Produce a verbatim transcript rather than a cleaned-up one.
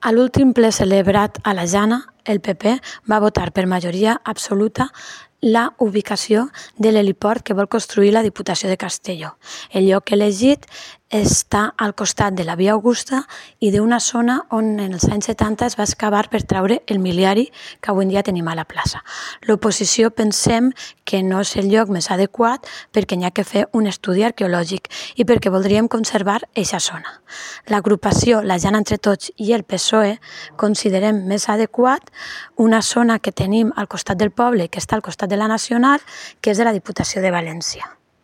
A l'últim ple celebrat a la Jana, el P P va votar per majoria absoluta la ubicació de l'heliport que vol construir la Diputació de Castelló. El lloc elegit està al costat de la Via Augusta i d'una zona on en els anys setanta es va excavar per treure el miliari que avui en dia tenim a la plaça. L'oposició pensem que no és el lloc més adequat perquè n'hi ha que fer un estudi arqueològic i perquè voldríem conservar aquesta zona. L'agrupació La Jana Entre Tots i el P S O E considerem més adequat una zona que tenim al costat del poble, que està al costat de la Nacional, que és de la Diputació de València.